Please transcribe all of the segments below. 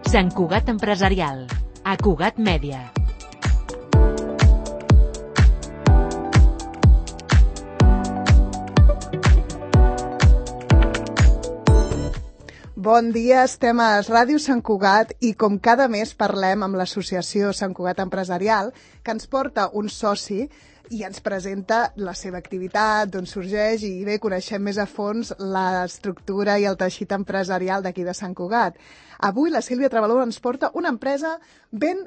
Sant Cugat Empresarial, a Cugat Mèdia. Bon dia, estem a Ràdio Sant Cugat i com cada mes parlem amb l'associació Sant Cugat Empresarial, que ens porta un soci i ens presenta la seva activitat, d'on sorgeix, i bé, coneixem més a fons l'estructura i el teixit empresarial d'aquí de Sant Cugat. Avui la Sílvia Travaló ens porta una empresa ben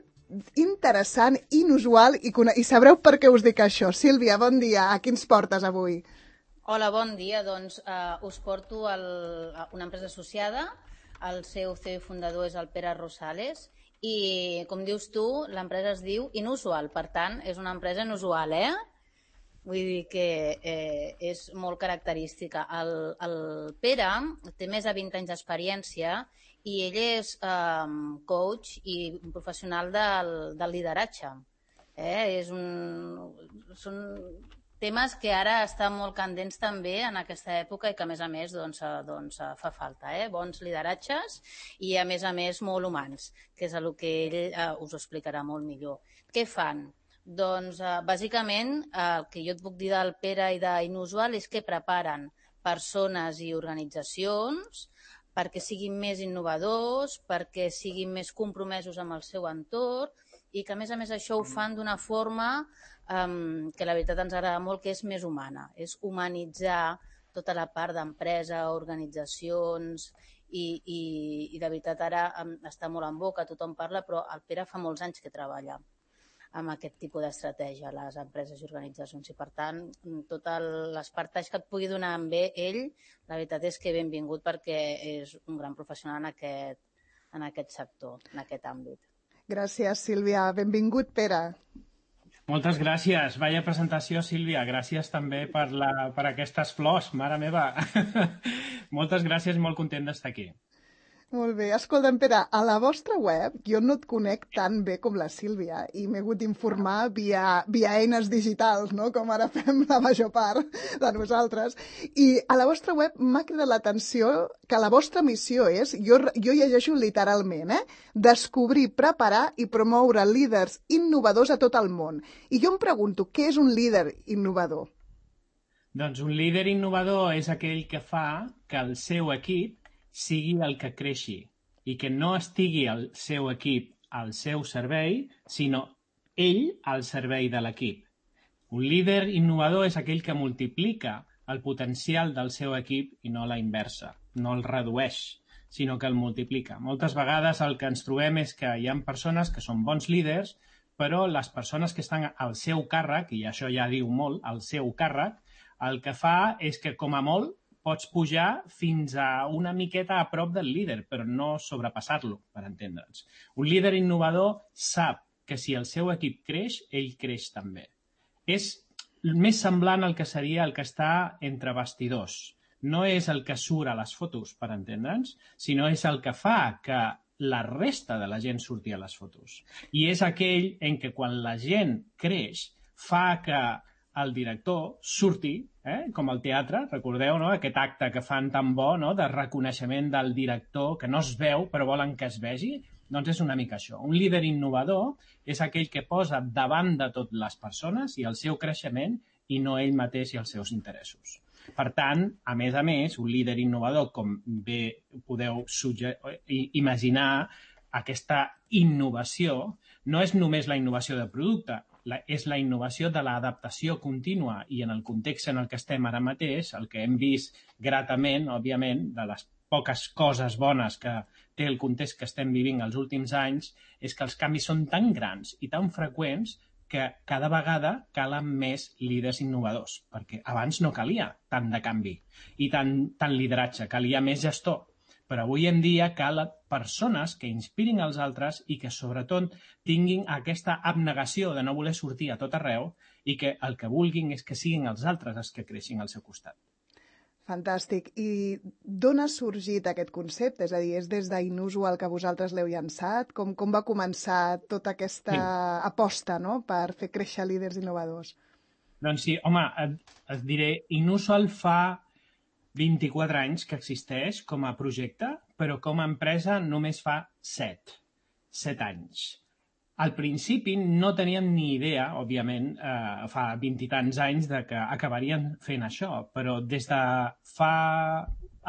interessant, inusual, i sabreu per què us dic això. Sílvia, bon dia. A qui ens portes avui? Hola, bon dia. Doncs us porto una empresa associada. El seu CEO i fundador és el Pere Rosales. I, com dius tu, l'empresa es diu Inusual. Per tant, és una empresa inusual, Vull dir que és molt característica. El Pere té més de 20 anys d'experiència i ell és coach i un professional del lideratge. Són temes que ara estan molt candents també en aquesta època i que, a més, fa falta. Bons lideratges i, a més, molt humans, que és el que ell us ho explicarà molt millor. Què fan? Doncs, bàsicament, el que jo et puc dir del Pere i d'Inusual és que preparen persones i organitzacions perquè siguin més innovadors, perquè siguin més compromesos amb el seu entorn i que, a més, això ho fan d'una forma que la veritat ens agrada molt, que és més humana. És humanitzar tota la part d'empresa, organitzacions i de veritat ara està molt en boca, tothom parla, però el Pere fa molts anys que treballa amb aquest tipus d'estratègia a les empreses i organitzacions i, per tant, tots els partalls que et pugui donar amb ell, la veritat és que benvingut perquè és un gran professional en aquest sector, en aquest àmbit. Gràcies, Sílvia. Benvingut, Pere. Moltes gràcies. Vaya presentació, Sílvia. Gràcies també per aquestes flors, mare meva. Moltes gràcies i molt content d'estar aquí. Molt bé. Escolta'm, Pere, a la vostra web jo no et conec tan bé com la Sílvia i m'he hagut d'informar via eines digitals, no? Com ara fem la major part de nosaltres. I a la vostra web m'ha cridat l'atenció que la vostra missió és, jo llegeixo literalment, descobrir, preparar i promoure líders innovadors a tot el món. I jo em pregunto, què és un líder innovador? Doncs un líder innovador és aquell que fa que el seu equip sigui el que creixi i que no estigui el seu equip al seu servei, sinó ell al servei de l'equip. Un líder innovador és aquell que multiplica el potencial del seu equip i no la inversa, no el redueix, sinó que el multiplica. Moltes vegades el que ens trobem és que hi ha persones que són bons líders, però les persones que estan al seu càrrec, i això ja diu molt, al seu càrrec, el que fa és que, com a molt, pots pujar fins a una miqueta a prop del líder, però no sobrepassar-lo, per entendre'ns. Un líder innovador sap que si el seu equip creix, ell creix també. És més semblant al que seria el que està entre bastidors. No és el que surt a les fotos, per entendre'ns, sinó és el que fa que la resta de la gent surti a les fotos. I és aquell en què quan la gent creix fa que el director surti, com al teatre, recordeu, no? Aquest acte que fan tan bo, no? De reconeixement del director, que no es veu però volen que es vegi, doncs és una mica això. Un líder innovador és aquell que posa davant de tot les persones i el seu creixement i no ell mateix i els seus interessos. Per tant, a més, un líder innovador, com bé podeu imaginar, aquesta innovació no és només la innovació de producte, és la innovació de l'adaptació contínua i en el context en el que estem ara mateix, el que hem vist gratament, òbviament, de les poques coses bones que té el context que estem vivint els últims anys, és que els canvis són tan grans i tan freqüents que cada vegada calen més líders innovadors, perquè abans no calia tant de canvi i tant lideratge, calia més gestor. Però avui en dia calen persones que inspirin els altres i que sobretot tinguin aquesta abnegació de no voler sortir a tot arreu i que el que vulguin és que siguin els altres els que creixin al seu costat. Fantàstic. I d'on ha sorgit aquest concepte? És a dir, és des d'Inusual que vosaltres l'heu llançat? Com va començar tota aquesta aposta, no?, per fer créixer líders innovadors? Doncs sí, home, et diré, Inusual fa 24 anys que existeix com a projecte, però com a empresa només fa 7 anys. Al principi no teníem ni idea, òbviament, fa 20 i tants anys, de que acabarien fent això, però des de fa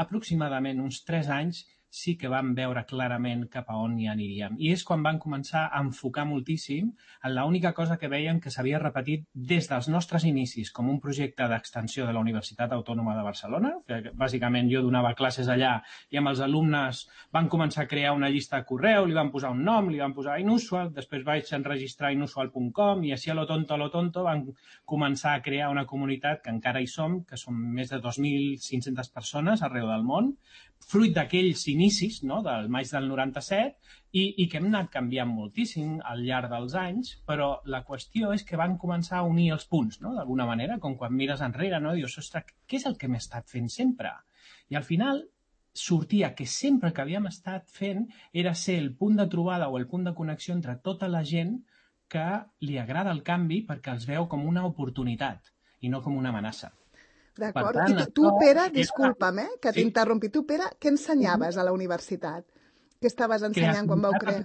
aproximadament uns 3 anys sí que vam veure clarament cap a on hi aniríem. I és quan van començar a enfocar moltíssim en l'única cosa que veiem que s'havia repetit des dels nostres inicis com un projecte d'extensió de la Universitat Autònoma de Barcelona, que bàsicament jo donava classes allà i amb els alumnes van començar a crear una llista de correu, li van posar un nom, li van posar Inusual, després vaig enregistrar inusual.com i així a lo tonto van començar a crear una comunitat que encara hi som, que som més de 2.500 persones arreu del món, fruit d'aquells inicis, no?, del maig del 97, i que hem anat canviant moltíssim al llarg dels anys, però la qüestió és que van començar a unir els punts, no?, d'alguna manera, com quan mires enrere, no?, dius, ostres, què és el que hem estat fent sempre? I al final sortia que sempre que havíem estat fent era ser el punt de trobada o el punt de connexió entre tota la gent que li agrada el canvi perquè els veu com una oportunitat i no com una amenaça. D'acord. I tu, Pere, disculpa'm, que t'interrompi. Tu, Pere, què ensenyaves a la universitat? Què estaves ensenyant quan vau crear?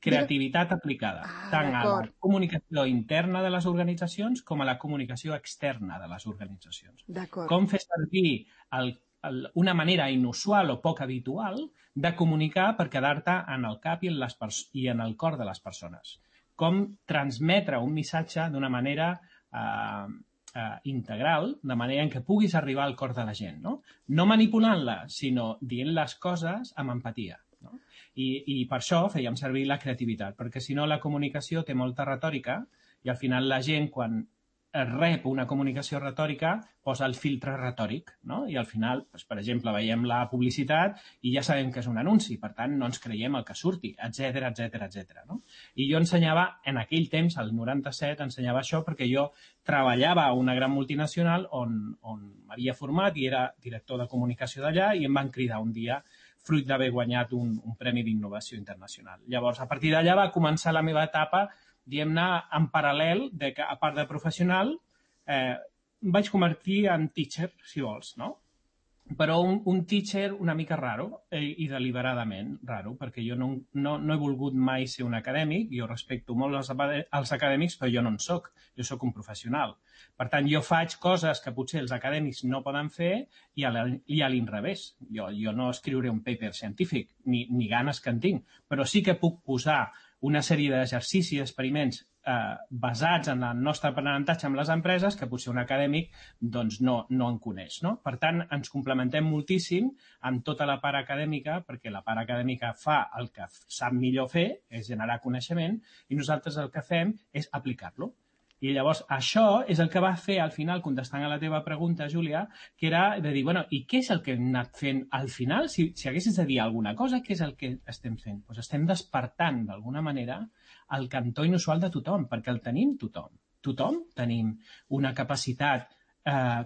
Creativitat aplicada, tant a la comunicació interna de les organitzacions com a la comunicació externa de les organitzacions. Com fer servir una manera inusual o poc habitual de comunicar per quedar-te en el cap i en el cor de les persones. Com transmetre un missatge d'una manera integral, de manera en què puguis arribar al cor de la gent, no? No manipulant-la, sinó dient les coses amb empatia. No? I per això fèiem servir la creativitat, perquè si no la comunicació té molta retòrica i al final la gent, quan rep una comunicació retòrica, posa el filtre retòric, no? I al final, doncs, per exemple, veiem la publicitat i ja sabem que és un anunci, per tant, no ens creiem el que surti, etc etc. No? I jo ensenyava, en aquell temps, al 97, ensenyava això perquè jo treballava a una gran multinacional on m'havia format i era director de comunicació d'allà i em van cridar un dia fruit d'haver guanyat un premi d'innovació internacional. Llavors, a partir d'allà va començar la meva etapa, diguem-ne, en paral·lel, de que, a part de professional, vaig convertir en teacher, si vols, no? Però un teacher una mica raro i deliberadament raro, perquè jo no he volgut mai ser un acadèmic, jo respecto molt els acadèmics, però jo no en soc, jo sóc un professional. Per tant, jo faig coses que potser els acadèmics no poden fer i a l'inrevés. Jo no escriuré un paper científic, ni ganes que en tinc, però sí que puc posar una sèrie d'exercicis i experiments basats en el nostre aprenentatge amb les empreses que potser un acadèmic doncs, no en coneix. No? Per tant, ens complementem moltíssim amb tota la part acadèmica, perquè la part acadèmica fa el que sap millor fer, és generar coneixement, i nosaltres el que fem és aplicar-lo. I llavors això és el que va fer al final, contestant a la teva pregunta, Júlia, que era de dir, bueno, i què és el que hem anat fent al final? Si haguessis de dir alguna cosa, què és el que estem fent? Doncs estem despertant, d'alguna manera, el cantó inusual de tothom, perquè el tenim tothom. Tothom tenim una capacitat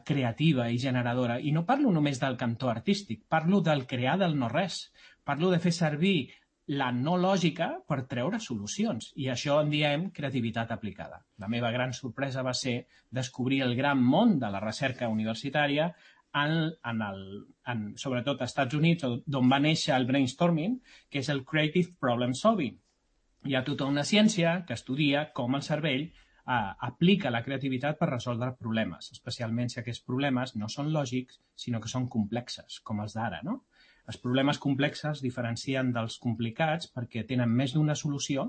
creativa i generadora. I no parlo només del cantó artístic, parlo del crear del no-res. Parlo de fer servir la no lògica per treure solucions. I això en diem creativitat aplicada. La meva gran sorpresa va ser descobrir el gran món de la recerca universitària sobretot als Estats Units, d'on va néixer el brainstorming, que és el Creative Problem Solving. Hi ha tota una ciència que estudia com el cervell aplica la creativitat per resoldre problemes, especialment si aquests problemes no són lògics, sinó que són complexes, com els d'ara, no? Els problemes complexes diferencien dels complicats perquè tenen més d'una solució,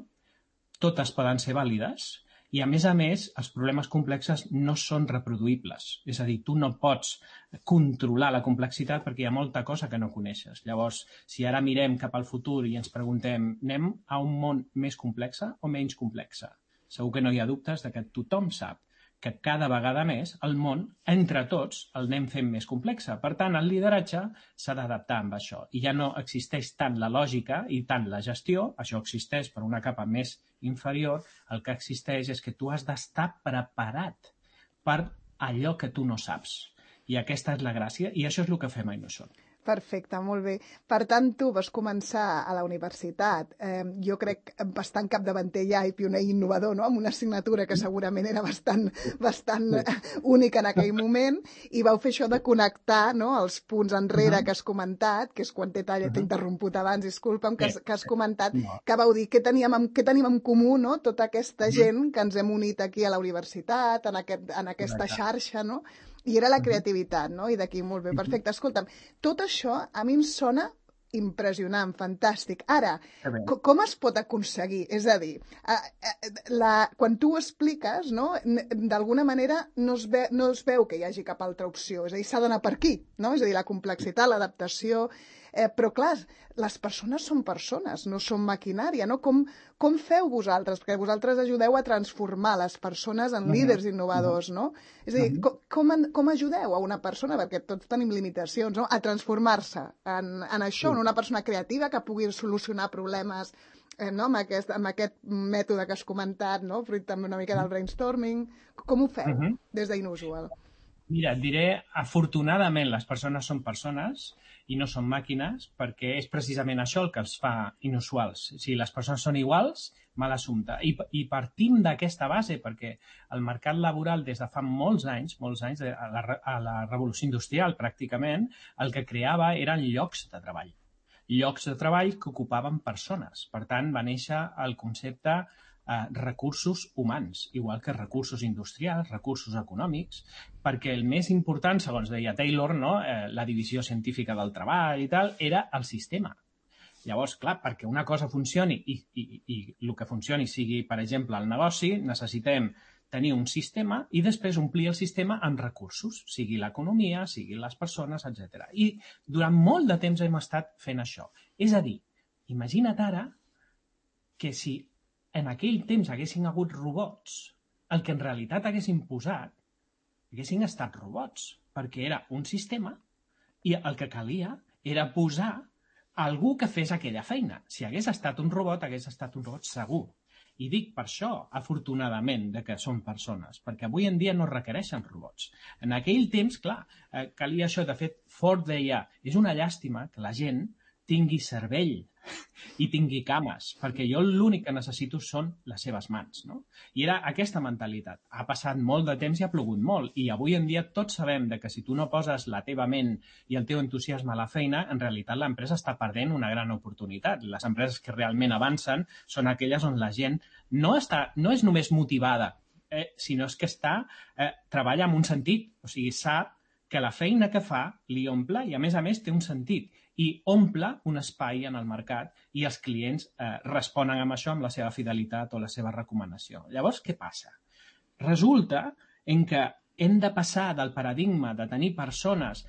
totes poden ser vàlides, i a més, els problemes complexes no són reproduïbles. És a dir, tu no pots controlar la complexitat perquè hi ha molta cosa que no coneixes. Llavors, si ara mirem cap al futur i ens preguntem, anem a un món més complex o menys complex? Segur que no hi ha dubtes de que tothom sap que cada vegada més el món, entre tots, el anem fent més complex. Per tant, el lideratge s'ha d'adaptar amb això. I ja no existeix tant la lògica i tant la gestió, això existeix per una capa més inferior, el que existeix és que tu has d'estar preparat per allò que tu no saps. I aquesta és la gràcia, i això és el que fem a Inusual. Perfecte, molt bé. Per tant, tu vas començar a la universitat, jo crec bastant capdavanter ja i pioner i innovador, no? Amb una assignatura que segurament era bastant única en aquell moment, i vau fer això de connectar, no?, els punts enrere que has comentat, que és quan t'he interromput abans, disculpa'm, que has comentat, que vau dir què teníem en comú, no?, tota aquesta gent que ens hem unit aquí a la universitat, en aquesta xarxa, no?, i era la creativitat, no? I d'aquí, molt bé, perfecte. Escolta'm, tot això a mi em sona impressionant, fantàstic. Ara, com es pot aconseguir? És a dir, quan tu ho expliques, no, d'alguna manera no es veu que hi hagi cap altra opció. És a dir, s'ha d'anar per aquí, no? És a dir, la complexitat, l'adaptació... Però, clar, les persones són persones, no són maquinària, no? Com feu vosaltres? Perquè vosaltres ajudeu a transformar les persones en líders innovadors, no? És a dir, com ajudeu a una persona, perquè tots tenim limitacions, no?, a transformar-se en això, en una persona creativa que pugui solucionar problemes, no?, amb aquest mètode que has comentat, no?, fruit també una mica del brainstorming. Com ho feu des d'Inusual? Mira, et diré, afortunadament les persones són persones i no són màquines, perquè és precisament això el que els fa inusuals. Si les persones són iguals, mal assumpte. I partim d'aquesta base, perquè el mercat laboral des de fa molts anys, a la revolució industrial pràcticament, el que creava eren llocs de treball. Llocs de treball que ocupaven persones. Per tant, va néixer el concepte recursos humans, igual que recursos industrials, recursos econòmics, perquè el més important, segons deia Taylor, no, la divisió científica del treball i tal, era el sistema. Llavors, clar, perquè una cosa funcioni i el que funcioni sigui, per exemple, el negoci, necessitem tenir un sistema i després omplir el sistema amb recursos, sigui l'economia, sigui les persones, etc. I durant molt de temps hem estat fent això. És a dir, imagina't ara que si en aquell temps haguessin hagut robots, el que en realitat haguessin posat haguessin estat robots, perquè era un sistema i el que calia era posar algú que fes aquella feina. Si hagués estat un robot, hagués estat un robot segur. I dic per això, afortunadament, que són persones, perquè avui en dia no requereixen robots. En aquell temps, clar, calia això. De fet, Ford deia, és una llàstima que la gent tingui cervell i tingui cames, perquè jo l'únic que necessito són les seves mans, no? I era aquesta mentalitat. Ha passat molt de temps i ha plogut molt, i avui en dia tots sabem que si tu no poses la teva ment i el teu entusiasme a la feina, en realitat l'empresa està perdent una gran oportunitat. Les empreses que realment avancen són aquelles on la gent no és només motivada, sinó que treballa amb un sentit, o sigui, sap que la feina que fa li omple i, a més, té un sentit i omple un espai en el mercat i els clients responen amb això, amb la seva fidelitat o la seva recomanació. Llavors, què passa? Resulta que hem de passar del paradigma de tenir persones,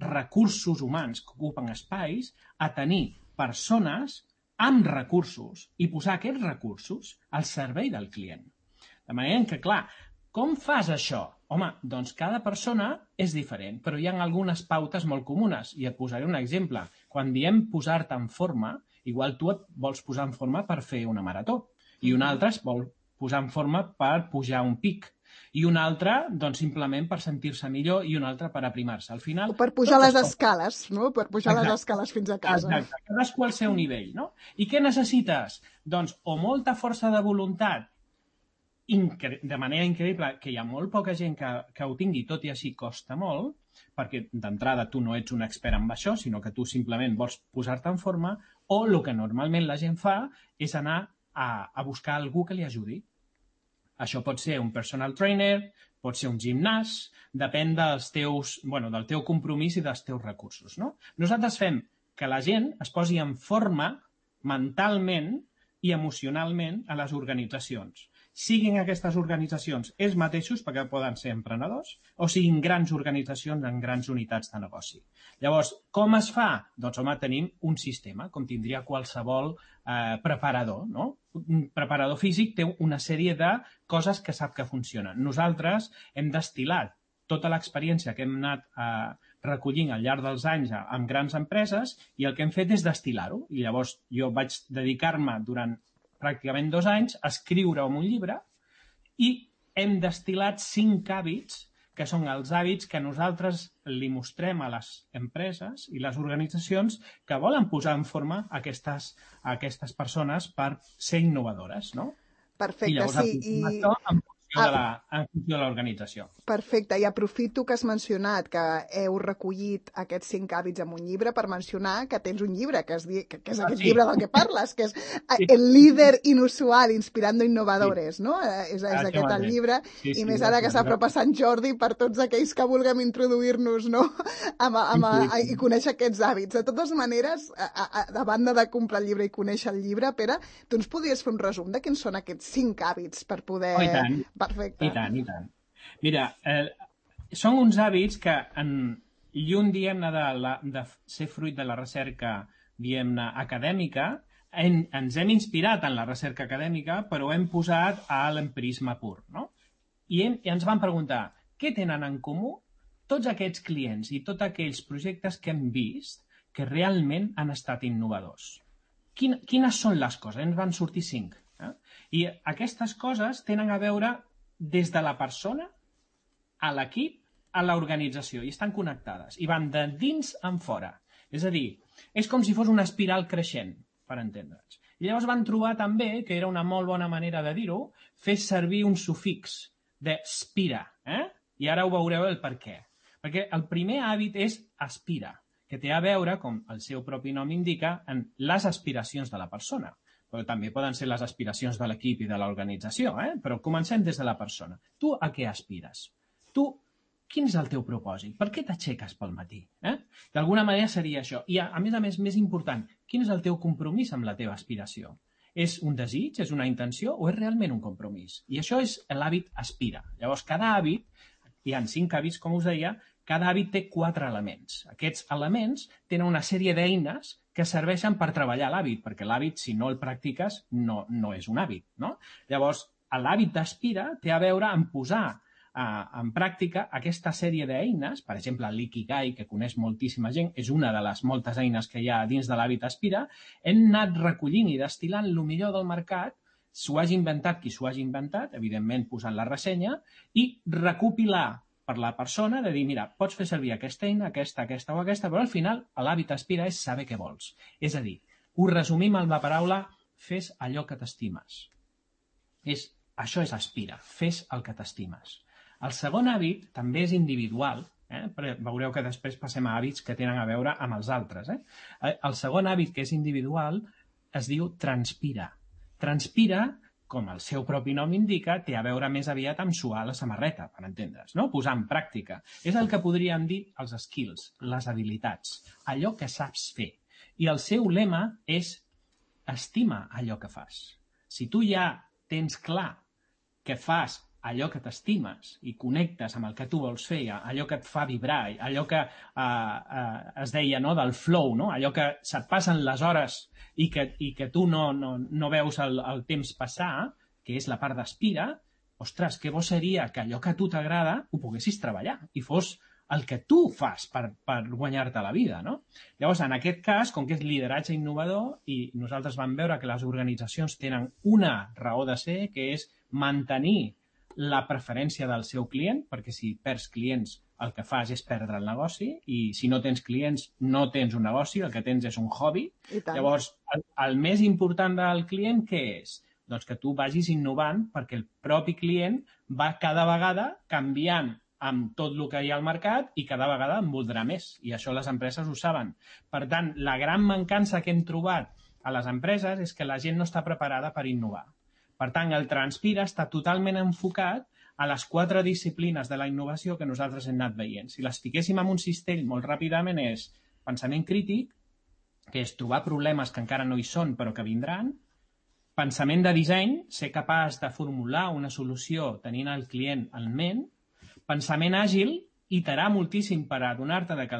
recursos humans que ocupen espais, a tenir persones amb recursos i posar aquests recursos al servei del client. De manera que, clar, com fas això? Home, doncs cada persona és diferent, però hi ha algunes pautes molt comunes. I et posaré un exemple. Quan diem posar-te en forma, igual tu et vols posar en forma per fer una marató, i un altre es vol posar en forma per pujar un pic, i un altre, doncs, simplement per sentir-se millor, i un altre per aprimar-se. Al final... O per pujar les escales, no? Per pujar les escales fins a casa. Exacte, cadascú al seu nivell, no? I què necessites? Doncs, o molta força de voluntat, de manera increïble, que hi ha molt poca gent que ho tingui, tot i així costa molt, perquè d'entrada tu no ets un expert en això, sinó que tu simplement vols posar-te en forma, o el que normalment la gent fa és anar a buscar algú que li ajudi. Això pot ser un personal trainer, pot ser un gimnàs, depèn del teu compromís i dels teus recursos, no? Nosaltres fem que la gent es posi en forma mentalment i emocionalment a les organitzacions. Siguin aquestes organitzacions ells mateixos, perquè poden ser emprenedors, o siguin grans organitzacions en grans unitats de negoci. Llavors, com es fa? Doncs, home, tenim un sistema, com tindria qualsevol preparador, no? Un preparador físic té una sèrie de coses que sap que funcionen. Nosaltres hem destil·lat tota l'experiència que hem anat recollint al llarg dels anys amb grans empreses i el que hem fet és destil·lar-ho. I llavors jo vaig dedicar-me durant pràcticament 2 anys a escriure un llibre i hem destil·lat 5 hàbits que són els hàbits que nosaltres li mostrem a les empreses i les organitzacions que volen posar en forma aquestes persones per ser innovadores, no? Perfecte, I llavors apliquem això en funció de l'organització. Perfecte, i aprofito que has mencionat que heu recollit aquests 5 hàbits en un llibre per mencionar que tens un llibre, que és aquest llibre del que parles, que és El líder inusual inspirando innovadores, no? És aquest el llibre, i més ara que s'apropa Sant Jordi per tots aquells que vulguem introduir-nos, no? I conèixer aquests hàbits. De totes maneres, a banda de comprar el llibre i conèixer el llibre, Pere, tu ens podries fer un resum de quins són aquests 5 hàbits per poder... Oh, i tant. Perfecte. I tant, i tant. Mira, són uns hàbits que lluny, diguem-ne, de ser fruit de la recerca, diguem-ne, acadèmica, ens hem inspirat en la recerca acadèmica, però ho hem posat a l'empirisme pur, no? I ens vam preguntar, què tenen en comú tots aquests clients i tots aquells projectes que hem vist que realment han estat innovadors? Quines són les coses? Ens van sortir 5. I aquestes coses tenen a veure des de la persona a l'equip, a l'organització, i estan connectades, i van de dins en fora. És a dir, és com si fos una espiral creixent, per entendre'ns. I llavors van trobar també, que era una molt bona manera de dir-ho, fer servir un sufix de spira, i ara ho veureu el per què. Perquè el primer hàbit és aspira, que té a veure, com el seu propi nom indica, en les aspiracions de la persona. Però també poden ser les aspiracions de l'equip i de l'organització, però comencem des de la persona. Tu a què aspires? Tu, quin és el teu propòsit? Per què t'aixeques pel matí? D'alguna manera seria això. I, a més, més important, quin és el teu compromís amb la teva aspiració? És un desig, és una intenció o és realment un compromís? I això és l'hàbit aspira. Llavors, cada hàbit, hi ha 5 hàbits, com us deia, cada hàbit té 4 elements. Aquests elements tenen una sèrie d'eines que serveixen per treballar l'hàbit, perquè l'hàbit, si no el practiques, no és un hàbit, no? Llavors, l'hàbit d'aspira té a veure amb posar en pràctica aquesta sèrie d'eines, per exemple, l'ikigai, que coneix moltíssima gent, és una de les moltes eines que hi ha dins de l'hàbit aspira, hem anat recollint i destil·lant el millor del mercat, s'ho hagi inventat qui s'ho hagi inventat, evidentment posant la ressenya, i recopilar per la persona de dir, mira, pots fer servir aquesta eina, aquesta o aquesta, però al final l'hàbit aspira és saber què vols. És a dir, ho resumim amb la paraula fes allò que t'estimes. Això és aspira, fes el que t'estimes. El segon hàbit també és individual, però veureu que després passem a hàbits que tenen a veure amb els altres. El segon hàbit, que és individual, es diu transpira. Transpira, com el seu propi nom indica, té a veure més aviat amb suar la samarreta, per entendre's, no? Posar en pràctica. És el que podríem dir els skills, les habilitats, allò que saps fer. I el seu lema és estima allò que fas. Si tu ja tens clar que fas allò que t'estimes i connectes amb el que tu vols fer, allò que et fa vibrar, allò que es deia, no, del flow, no? Allò que se't passen les hores i que tu no veus el temps passar, que és la part d'aspira, ostres, que bo seria que allò que a tu t'agrada ho poguessis treballar i fos el que tu fas per guanyar-te la vida, no? Llavors, en aquest cas, com que és lideratge innovador, i nosaltres vam veure que les organitzacions tenen una raó de ser, que és mantenir la preferència del seu client, perquè si perds clients el que fas és perdre el negoci, i si no tens clients no tens un negoci, el que tens és un hobby. Llavors, el més important del client què és? Doncs que tu vagis innovant perquè el propi client va cada vegada canviant amb tot el que hi ha al mercat i cada vegada en voldrà més. I això les empreses ho saben. Per tant, la gran mancança que hem trobat a les empreses és que la gent no està preparada per innovar. Per tant, el Transpira està totalment enfocat a les 4 disciplines de la innovació que nosaltres hem anat veient. Si les fiquéssim en un cistell molt ràpidament és pensament crític, que és trobar problemes que encara no hi són però que vindran, pensament de disseny, ser capaç de formular una solució tenint el client en ment, pensament àgil, iterar moltíssim per adonar-te que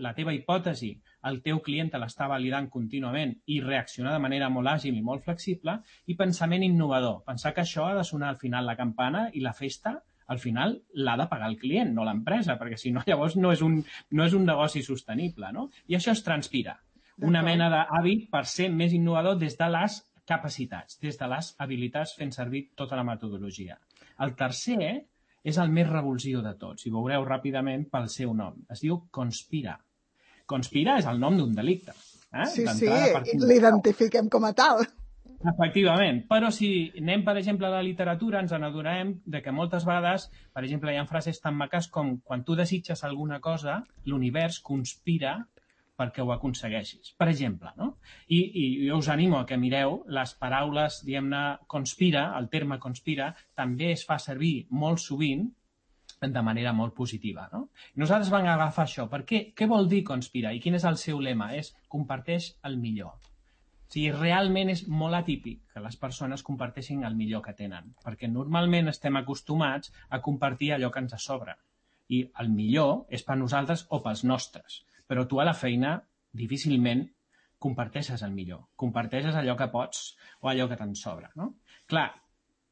la teva hipòtesi, el teu client te l'està validant contínuament i reaccionar de manera molt àgil i molt flexible, i pensament innovador, pensar que això ha de sonar al final la campana i la festa al final l'ha de pagar el client, no l'empresa, perquè si no llavors no és un negoci sostenible, no? I això es transpira. Una mena d'hàbit per ser més innovador des de les capacitats, des de les habilitats fent servir tota la metodologia. El tercer és el més revulsiu de tots, i veureu ràpidament pel seu nom. Es diu conspira. Conspira és el nom d'un delicte. Sí, l'identifiquem com a tal. Efectivament, però si anem, per exemple, a la literatura, ens n'adonarem que moltes vegades, per exemple, hi ha frases tan maques com quan tu desitges alguna cosa, l'univers conspira perquè ho aconsegueixis. Per exemple, no? I jo us animo a que mireu les paraules, diguem-ne, conspira, el terme conspira, també es fa servir molt sovint de manera molt positiva, no? Nosaltres vam agafar això. Per què? Què vol dir conspirar? I quin és el seu lema? És comparteix el millor. O sigui, realment és molt atípic que les persones comparteixin el millor que tenen, perquè normalment estem acostumats a compartir allò que ens sobra. I el millor és per nosaltres o pels nostres. Però tu a la feina difícilment comparteixes el millor. Comparteixes allò que pots o allò que te'n sobra, no? Clar,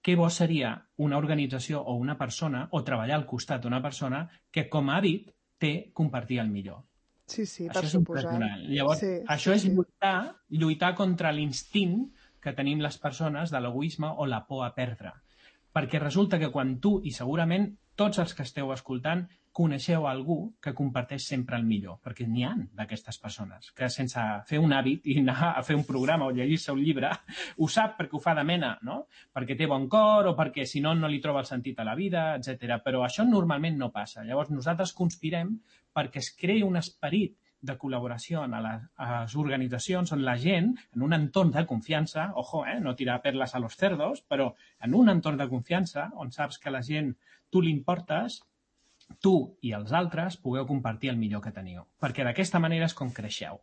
què bo seria una organització o una persona o treballar al costat d'una persona que com a hàbit té compartir el millor. Sí, per suposar. Llavors, això és lluitar contra l'instint que tenim les persones de l'egoisme o la por a perdre. Perquè resulta que quan tu, i segurament tots els que esteu escoltant, coneixeu algú que comparteix sempre el millor, perquè n'hi ha d'aquestes persones que sense fer un hàbit i anar a fer un programa o llegir-se un llibre, ho sap perquè ho fa de mena, no? Perquè té bon cor o perquè si no no li troba el sentit a la vida, etc. Però això normalment no passa. Llavors nosaltres conspirem perquè es creï un esperit de col·laboració a les organitzacions on la gent, en un entorn de confiança, ojo, no tirar perles a los cerdos, però en un entorn de confiança on saps que la gent, tu li importes, tu i els altres pugueu compartir el millor que teniu. Perquè d'aquesta manera és com creixeu.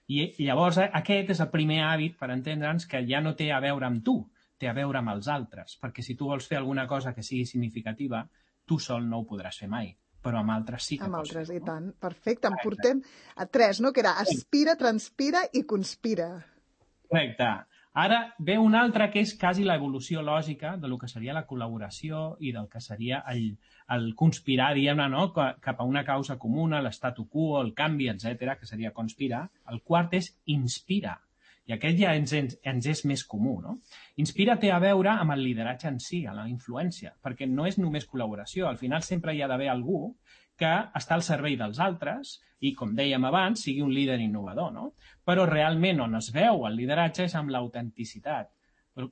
I llavors aquest és el primer hàbit per entendre'ns que ja no té a veure amb tu, té a veure amb els altres. Perquè si tu vols fer alguna cosa que sigui significativa, tu sol no ho podràs fer mai. Però amb altres sí que amb pots altres, fer, i tant. Perfecte. En portem a 3, no? Que era aspira, transpira i conspira. Correcte. Ara ve un altre que és quasi l'evolució lògica del que seria la col·laboració i del que seria el conspirar, diguem-ne, no? Cap a una causa comuna, l'estatu quo, el canvi, etc, que seria conspirar. El quart és inspira. I aquest ja ens és més comú, no? Inspira té a veure amb el lideratge en si, amb la influència, perquè no és només col·laboració. Al final sempre hi ha d'haver algú que està al servei dels altres i, com dèiem abans, sigui un líder innovador, no? Però realment on es veu el lideratge és amb l'autenticitat.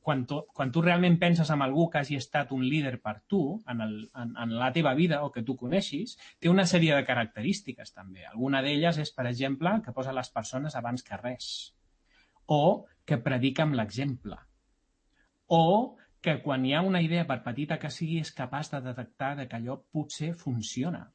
Quan tu realment penses en algú que hagi estat un líder per tu en la teva vida o que tu coneixis, té una sèrie de característiques també. Alguna d'elles és, per exemple, que posa les persones abans que res, o que predica amb l'exemple, o que quan hi ha una idea, per petita que sigui, és capaç de detectar que allò potser funciona,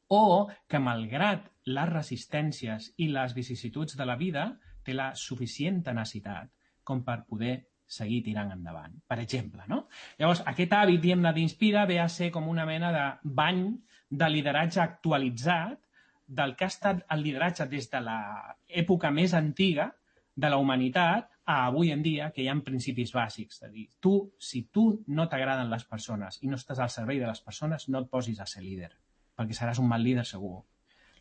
o que, malgrat les resistències i les vicissituds de la vida, té la suficient tenacitat com per poder seguir tirant endavant, per exemple, no? Llavors, aquest hàbit, diguem-ne, d'Inspira ve a ser com una mena de bany de lideratge actualitzat del que ha estat el lideratge des de l'època més antiga de la humanitat a avui en dia, que hi ha principis bàsics. És a dir, si tu no t'agraden les persones i no estàs al servei de les persones, no et posis a ser líder, perquè seràs un mal líder segur.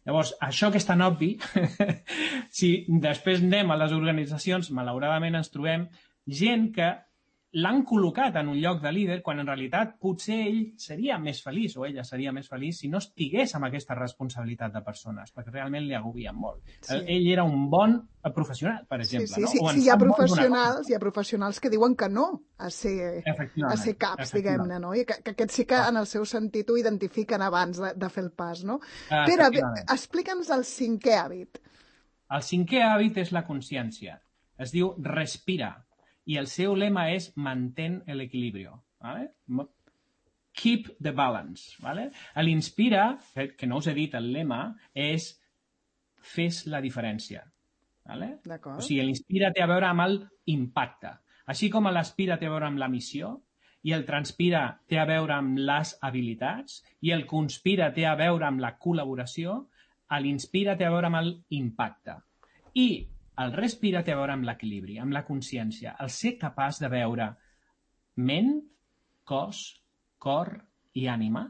Llavors, això que és tan obvi, si després anem a les organitzacions, malauradament ens trobem gent que l'han col·locat en un lloc de líder quan en realitat potser ell seria més feliç o ella seria més feliç si no estigués amb aquesta responsabilitat de persones, perquè realment li agobien molt. Sí. Ell era un bon professional, per exemple. Sí, no? Sí, hi ha professionals que diuen que no a ser caps, diguem-ne, no? I que aquests sí que en el seu sentit ho identifiquen abans de fer el pas, no? Pere, explica'ns el 5è hàbit. El 5è hàbit és la consciència. Es diu respira. I el seu lema és mantén l'equilibri. ¿Vale? Keep the balance. ¿Vale? L'Inspira, que no us he dit el lema, és fes la diferència. ¿Vale? O sigui, l'Inspira té a veure amb l'impacte. Així com l'Aspira té a veure amb la missió, i el Transpira té a veure amb les habilitats, i el Conspira té a veure amb la col·laboració, l'Inspira té a veure amb l'impacte. I el Respira té a veure amb l'equilibri, amb la consciència, el ser capaç de veure ment, cos, cor i ànima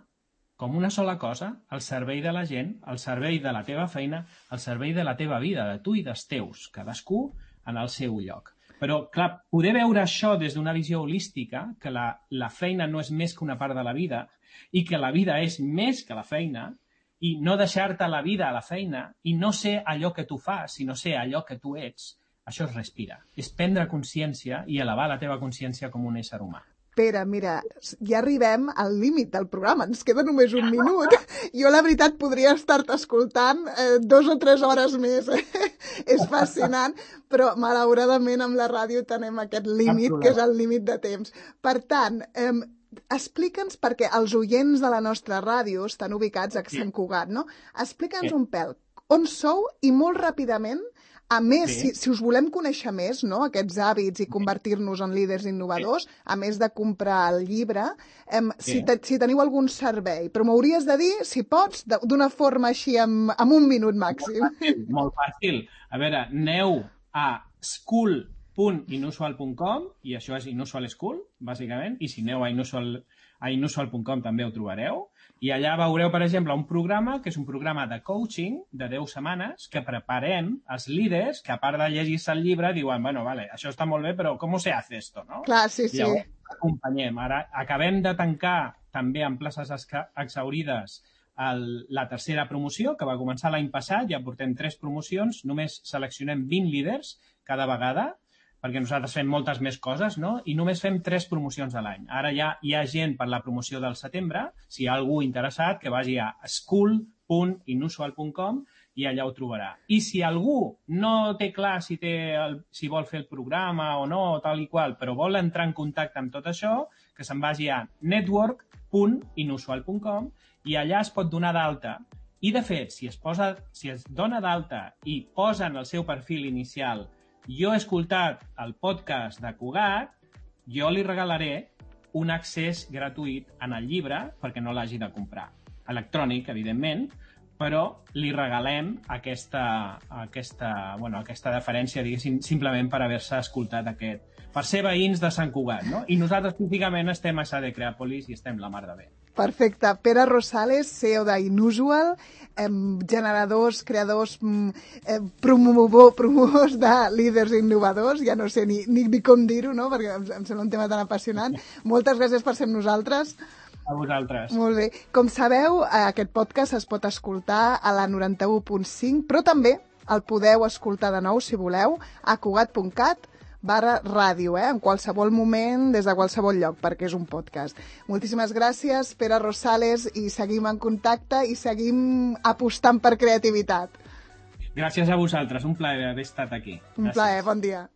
com una sola cosa al servei de la gent, al servei de la teva feina, al servei de la teva vida, de tu i dels teus, cadascú en el seu lloc. Però, clar, poder veure això des d'una visió holística, que la feina no és més que una part de la vida i que la vida és més que la feina, i no deixar-te la vida a la feina i no ser allò que tu fas, sinó ser allò que tu ets, això es respira. És prendre consciència i elevar la teva consciència com un ésser humà. Pere, mira, ja arribem al límit del programa, ens queda només un minut. Jo, la veritat, podria estar-te escoltant 2 o 3 hores més. És fascinant, però malauradament amb la ràdio tenim aquest límit, que és el límit de temps. Per tant, explica'ns, perquè els oients de la nostra ràdio estan ubicats a Sant Cugat, no? Explica'ns un pèl. On sou i molt ràpidament, a més, si us volem conèixer més, no, aquests hàbits i convertir-nos en líders innovadors, a més de comprar el llibre, si teniu algun servei, però m'hauries de dir, si pots, d'una forma així, amb un minut màxim. Molt fàcil. A veure, aneu a school.inusual.com i això és Inusual School, bàsicament, i si aneu a inusual.com també ho trobareu. I allà veureu, per exemple, un programa que és un programa de coaching de 10 setmanes que preparem els líders que, a part de llegir-se el llibre, diuen, bueno, vale, això està molt bé, però com se hace esto, no? Clar, sí, sí. Llavors, acompanyem. Ara acabem de tancar també en places exhaurides la tercera promoció, que va començar l'any passat, ja portem 3 promocions, només seleccionem 20 líders cada vegada, perquè nosaltres fem moltes més coses, no? I només fem 3 promocions a l'any. Ara ja hi ha gent per la promoció del setembre, si hi ha algú interessat, que vagi a school.inusual.com i allà ho trobarà. I si algú no té clar si vol fer el programa o no, tal i qual, però vol entrar en contacte amb tot això, que se'n vagi a network.inusual.com i allà es pot donar d'alta. I, de fet, si es dona d'alta i posa en el seu perfil inicial jo he escoltat el podcast de Cugat, jo li regalaré un accés gratuït en el llibre, perquè no l'hagi de comprar. Electrònic, evidentment, però li regalem aquesta deferència, diguéssim, simplement per haver-se escoltat aquest. Per ser veïns de Sant Cugat, no? I nosaltres, típicament, estem a Sade Creàpolis i estem la mar de bé. Perfecte. Pere Rosales, CEO d'Inusual, generadors, creadors, promotors de líders innovadors, ja no sé ni com dir-ho, no? Perquè em sembla un tema tan apassionant. Moltes gràcies per ser amb nosaltres. A vosaltres. Molt bé. Com sabeu, aquest podcast es pot escoltar a la 91.5, però també el podeu escoltar de nou, si voleu, a cugat.cat/ràdio, en qualsevol moment, des de qualsevol lloc, perquè és un podcast. Moltíssimes gràcies, Pere Rosales, i seguim en contacte i seguim apostant per creativitat. Gràcies a vosaltres, un plaer haver estat aquí. Un plaer, bon dia.